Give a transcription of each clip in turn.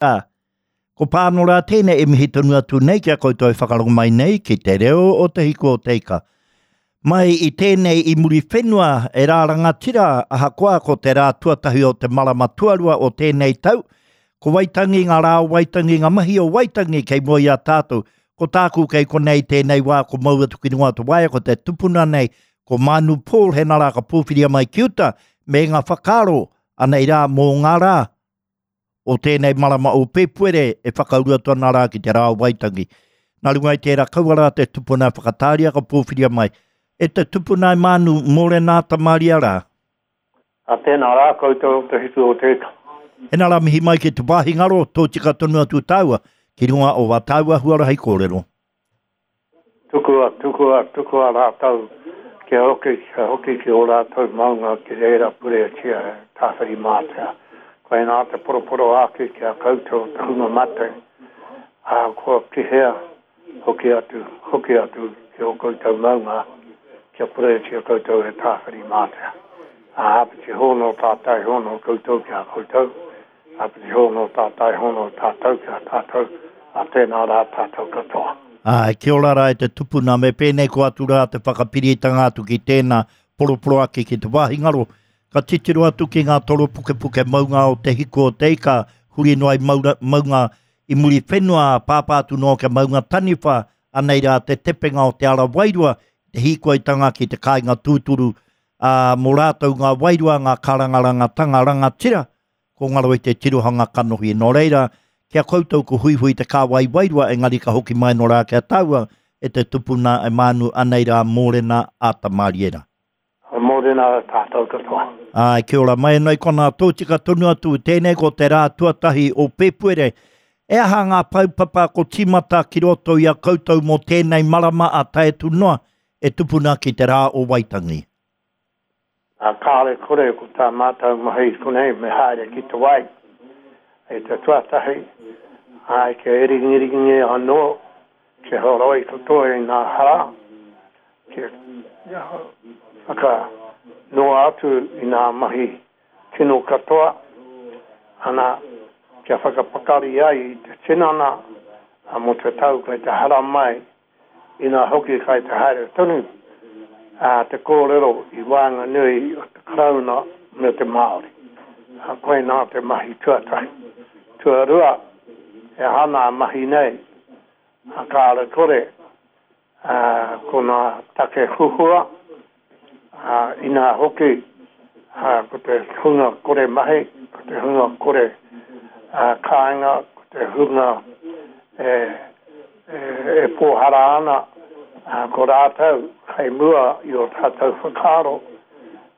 Ā, ko Pānora tēnei e mihi tonu atu nei ki a koutou e whakarongo mai nei ki te reo o Te Hiku o Te Ika. Mai i tēnei i Muriwhenua e rā rangatira, ahakoa ko te rā tuatahi o te marama tuarua o tēnei tau, ko Waitangi ngā rā o Waitangi, ngā mahi o Waitangi kei mua i a tātou. Ko tāku kei konei tēnei wā ko mau atu ki runga o te waea ko te tupuna nei, ko Manu Paul hena rā ka pōwhiria mai ki uta me ngā whakaaro anei rā mō ngā rā o tēnei marama o Pēpuere e whakauru atu ana rā ki te rā o Waitangi. Nā runga i tērā kaua rā te tupuna e whakatāria ka pōwhiria mai. E te tupuna e Mānu, mōrena ata māria rā. A tēnā rā koutou o te hiku o te ika. Hena rā mihi mai ki te wāhi ngaro, tōtika tonu atu tāua ki runga o wā tāua huarahi kōrero. Tukua, tukua, tukua rātou kia hoki, kia hoki ki ō rātou maunga ki reira pureatia e Tāwhirimātea. Koinā te poroporoāki ki a koutou te hunga mate, ā, kua ki hea, hoki atu, hoki atu ki ō koutou maunga kia pureatia koutou e Tāwhirimātea. Ā, āpiti hono tātai hono koutou ki a koutou, Āpiti hono tātai hono tātou ki a tātou, ā tēnā rā tātou katoa. Āe, kia ora rā e te tupuna, me pēnei ko atu rā te whakapiritanga atu ki tēnā poroporoaki ki te wāhi ngaro. Ka titiro atu ki ngā toro pukepuke maunga o Te Hiku o Te Ika, huri noa i maura, maunga i Muriwhenua, pāpā atu noa kia maunga taniwha, anei rā te tepenga o te ara wairua, te hīkoitanga ki te kāinga tūturu, ā, mō rātou ngā wairua, ngā kārangarangatanga rangatira, ko ngaro i te tirohanga kanohi. Nō reira, ki a koutou ko huihui te kāwai wairua, engari ka hoki mai nō rā ki a tāua, e te tupuna e mānu anei rā mōrena āta mārie rā. Mōrena tātou katoa. Āe, kia ora mai anō i konā tōtika tonu atu, tēnei ko te rā tuatahi o Pēpuere. E aha ngā paupapa ko tīmata ki roto i a koutou mō tēnei marama a tae atu noa e tupuna ki te rā o Waitangi? Ā, kāore kore ko tā mātou mahi i konei me haere ki te wai i te tuatahi, ā, kia ringiringi anō, kia horoi katoa i ngā hara, kia whakanoa atu i ngā mahi kino katoa, ana, kia whakapakari ai i te tinana mō te tau kei te haramai Inā hoki kai te haere tonu te kōrero i waenganui o te Karauna me te Māori. Koinā te mahi tuatahi. Tuarua, he aha nā mahi nei, kāre kore, ko nā take huhua, inā hoki, ko te hunga kore mahi, ko te hunga kore kāinga, ko te hunga e e pōhara ana ko rātou kei mua i ō tātou whakaaro.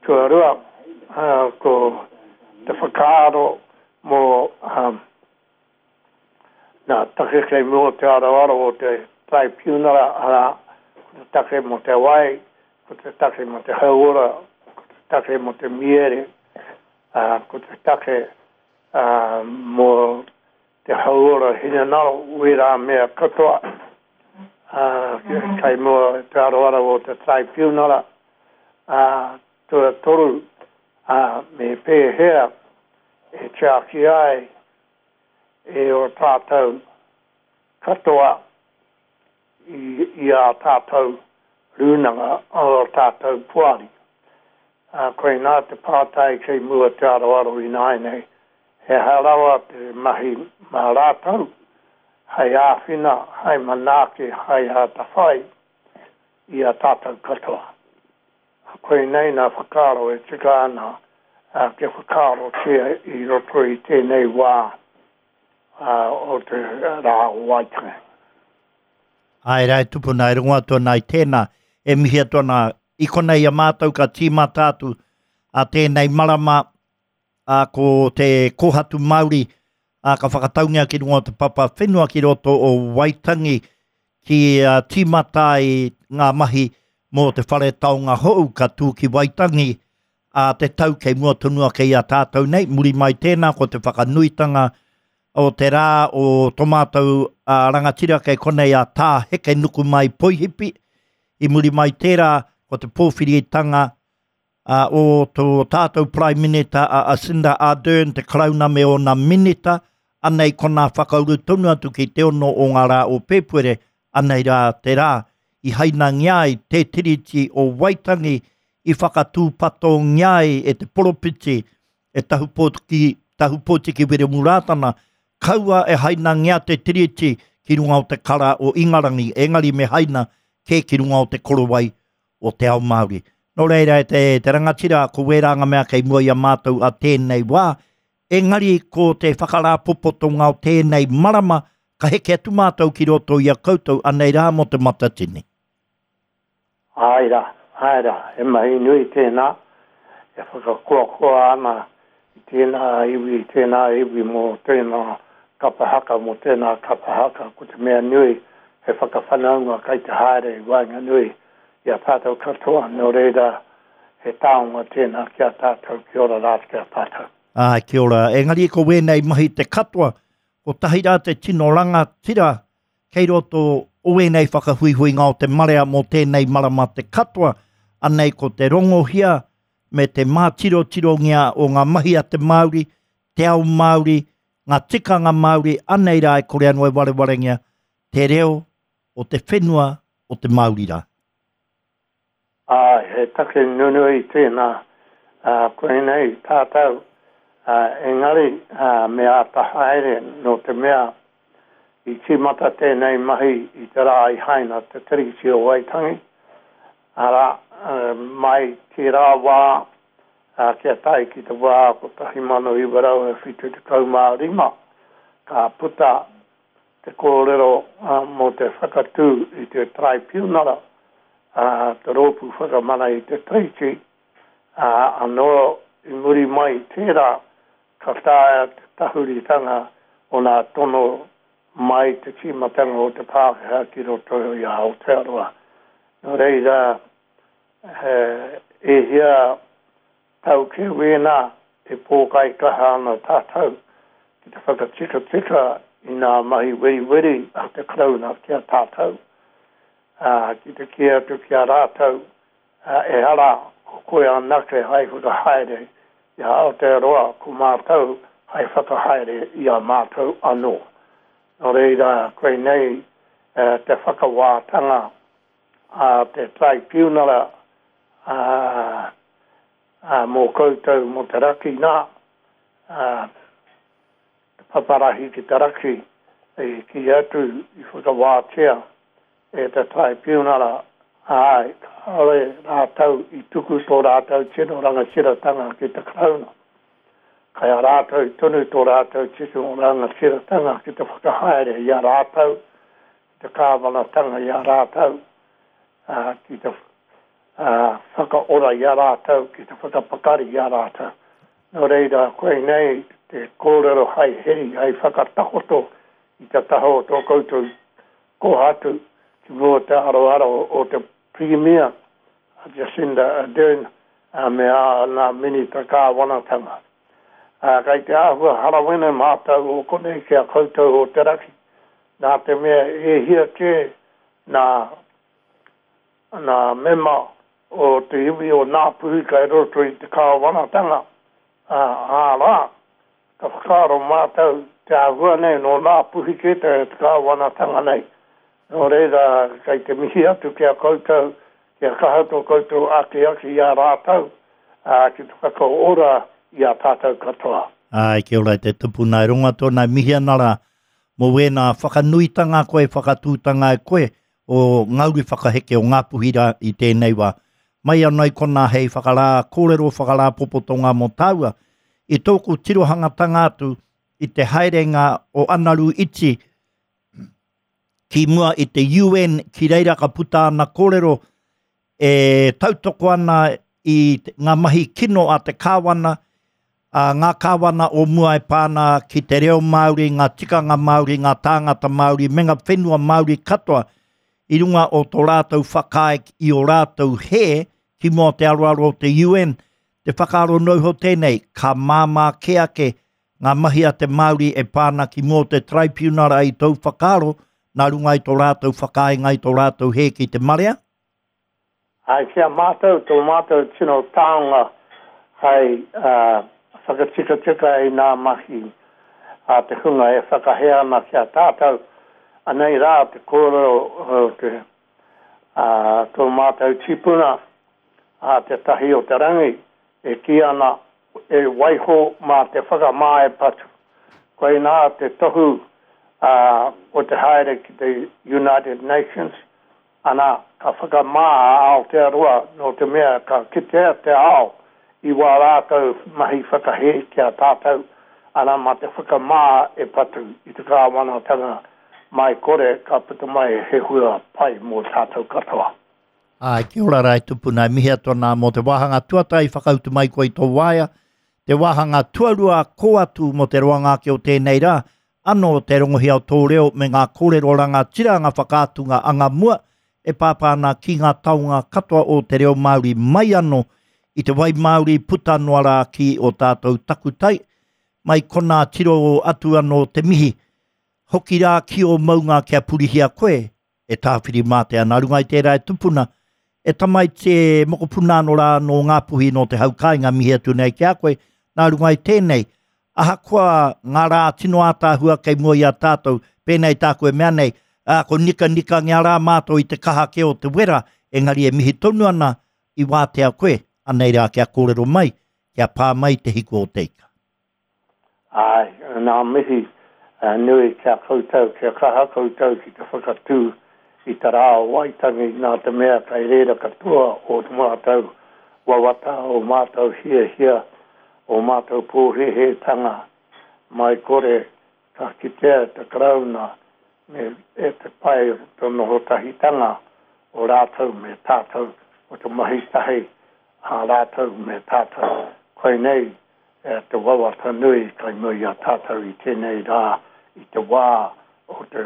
Tuarua, ko te whakaaro mō ngā take kei mua o te aroaro o te Taraipiunara, arā, ko te take mō te wai, ko te take mō te hauora, ko te take mō te miere, ko te take mō te hauora hinengaro, wērā mea katoa, ā, kei mua i te aroaro o te Taraipiunara, ā, tuatoru, ā, me pēhea e tiaki ai e ō tātou katoa i, i ā tātou rūnanga, ō tātou poari. Ā, koinā te pātai kei mua te aroaro ināianei, he aha rawa te mahi mā rātou hei āwhina, hei manaaki, hei atawhai i a tātou katoa? Koinei nā whakaaro e tika ana kia whakaarotia i roto i tēnei wā o te rā o Waitangi. Āe rā e tupuna, e rongo atu ana i tēnā, e mihi atu ana i konei i a mātou ka tīmata atu a tēnei marama, ā, ko te kōhatu Māori, ā, ka whakataungia ki runga o te papa whenua ki roto o Waitangi ki tīmata ai ngā mahi mō te whare taonga hou ka tū ki Waitangi ā te tau kei mua tonu ake i a tātou nei, muri mai tēnā ko te whakanuitanga o te rā o tō mātou rangatira kei konei a Tā Hekenukumai Poihipi, i muri mai tērā ko te pōwhiritanga o tō tātou Prime Minita a Jacinda Ardern, te Karauna me ōna minita, Anei konā whakauru tonu atu ki te ono o ngā rā o Pēpuere, anei rā te rā i hainangia ai te Tiriti o Waitangi i whakatūpatongia ai e te poropiti e Tahupōtiki, Tahupōtiki Wiremu Rātana, kaua e hainangia te Tiriti ki runga o te kara o Ingarangi, engari me haina kē ki runga o te korowai o te ao Māori. Nō reira e te, te rangatira, ko wērā ngā mea kei mua i a mātou a tēnei wā, engari ko te whakarāpopotonga o tēnei marama, ka heke atu mātou ki roto i a koutou, anei rā mō te Matatini. Āe rā, āe rā, he mahi nui tēnā, e whakakoakoa ana i tēnā iwi, i tēnā iwi mō tēnā kapa haka, mō tēnā kapa haka, ko te mea nui he whakawhanaunga kai te haere i waenganui i a tātou katoa, nō reira he taonga tēnā ki a tātou, kia ora rā ki a tātou. Āe, kia ora. Engari ko wēnei mahi te katoa, kotahi rā te tino rangatira kei roto o wēnei whakahuihuinga o te marea mō tēnei marama te katoa, anei ko te rongohia me te mātirotirongia o ngā mahi a te Māori, te ao Māori, ngā tikanga Māori, anei rā e kore anō e warewarengia te reo o te whenua o te Māori rā. Āe, he take nunui tēnā, ā, koinei tātou, ā, engari, ā, me āta haere nō te mea i tīmata tēnei mahi i te rā i haina te Tiriti o Waitangi, arā, mai tērā wā, ā, kia tae ki te wā 1975, ka puta te kōrero mō te whakatū i te Taraipiunara, te Rōpū Whakamana i te Tiriti, ā, anō i muri mai i tērā ka taea te tahuritanga o nā tono mai te tīmatanga o te Pākehā ki roto i a Aotearoa. Nō reira, he e hia tau kē wēnā e pōkaikaha ana tātou ki te whakatikatika i nā mahi weriweri a te Karauna ki a tātou, ā, ki te kī atu ki a rātou, ehara ko koe anake hai whakahaere i a Aotearoa, ko mātou hai whakahaere i a mātou anō. Nō reira, koinei te whakawātanga a te Taraipiunara, ā, ā, mō koutou mō te raki nā, ā, te paparahi ki te raki, i kī atu, i whakawātea e te Taraipiunara, āe, kāore rātou i tuku tō rātou tino rangatiratanga ki te Karauna. Kai a rātou tonu tō rātou tino rangatiratanga ki te whakahaere i a rātou, ki te kāwanatanga i a rātou, ā, ki te whakaora i a rātou, ki te whakapakari i a rātou. Nō reira, koinei te kōrero hai heri, hai whakatakoto i te taha o tō koutou kōhatu ki mua o te aroaro o te Pirimia, a Jacinda Ardern, me āna Minita Kāwanatanga. Ā, kei te āhua harawene mātou o konei ki a koutou o te raki, nā te mea e hia kē nā Nā mema o te iwi o Ngāpuhi kai roto i te kāwanatanga, ā, ārā, ka whakaaro mātou te āhua nei nō Ngāpuhi kē te kāwanatanga nei. Nō reira, kei te mihi atu ki a koutou, kia kaha tō koutou akiaki i a rātou, ā, ki te whakaora i a tātou katoa. Āe, kia ora e te tupuna e rongo atu ana, e mihi ana rā mō wēnā whakanuitanga koe, whakatūtanga e koe, o ngā uri whakaheke o Ngāpuhi rā i tēnei wā. Mai anō i konā hei whakarā kōrero, whakarāpopotonga mō tāua. I tōku tirohangatanga atu i te haerenga o Anaru Iti ki mua i te UN, ki reira ka puta ana kōrero e tautoko ana i ngā mahi kino a te kāwana, a ngā kāwana o mua e pā ana ki te reo Māori, ngā tikanga Māori, ngā tāngata Māori, me ngā whenua Māori katoa i runga o tō rātou whakaae i ō rātou hē ki mua o te aroaro o te UN. Te whakaaro noa iho tēnei, ka māmā kē ake ngā mahi a te Māori e pā ana ki mua o te Taraipiunara i tōu whakaaro nā runga i tō rātou whakaaenga i tō rātou hē ki te marea? Āe, ki a mātou, tō mātou tino taonga hai whakatikatika i nā mahi. a te hunga e whakahē ana ki a tātou. Anei rā te kōrero o te, a tō mātou tipuna, a Te Tahi o te Rangi, e kī ana, e waiho mā te whakamā e patu. Koinā te tohu o te haere ki te United Nations, Ana, ka whakamā a Aotearoa nō te mea ka kitea te ao i wā rātou mahi whakahē ki a tātou, ana mā te whakamā e patu i te kāwanatanga mai kore ka puta mai he hua pai mō tātou katoa. Āe, kia ora rā e tupuna, e mihi atu ana mō te wāhanga tuatahi whakautu mai koe i tō waea, te wāhanga tuarua kō atu mō te roanga ake o tēnei rā, Ano te rongohia o tō reo me ngā kōrero rangatira, ngā whakaatunga anga mua e pāpā ana ki ngā taonga katoa o te reo Māori mai ano i te wai Māori puta noa rā ki o tātou takutai, mai konā tiro atu ano te mihi. Hoki rā ki ō maunga kia purihia koe e Tāwhirimātea. Nā runga i tērā e tupuna, e tamaiti e mokopuna anō rā nō Ngāpuhi nō te hau kāinga mihi atu nei ki a koe, nā runga i tēnei, ahakoa ngā rā tino ātaahua kei mua i a tātou, pēnei tāku e mea nei, ā, ko nikanikangia rā mātou i te kaha kē o te wera, engari e mihi tonu ana i wātea koe, anei rā kia kōrero mai, kia pā mai te hiku o te ika. Āe, ngā mihi nui ki a koutou, kia kaha koutou ki te whakatū i te rā o Waitangi nā te mea kei reira katoa ō mātou wawata, ō mātou hiahia, ō mātou pōhēhētanga mai kore ka kitea e te Karauna me e te pai o te noho tahitanga o rātou me tātou, o te mahi tahi a rātou me tātou. Koinei E te wawata nui kai mua i a tātou i tēnei rā, i te wā o te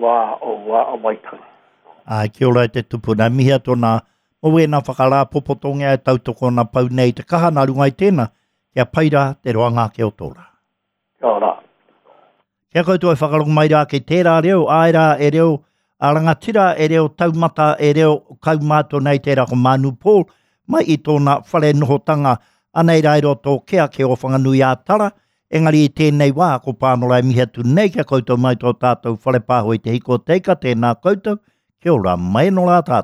wā o Waitangi. Āe, kia ora e te tupuna. E mihi atu ana mō wēnā whakarāpopotongia e tautoko ana pau nei i te kaha nā runga i tēnā, kia pai rā te roanga ake o tō rā. Kia ora. Kia koutou e whakarongo mai rā ki tērā reo, āe rā e reo a rangatira, e reo taumata, e reo kaumātua nei tērā ko Manu Paul, mai i tōna whare nohotanga, anei rā i roto o Kea, ki o Whanganui-ā-Tara, engari i tēnei wā, ko Pānora e mihi atu nei kia koutou mai tō tātou whare pāho i te hiko o te ika, tēnā koutou, kia ora mai anō rā tātou.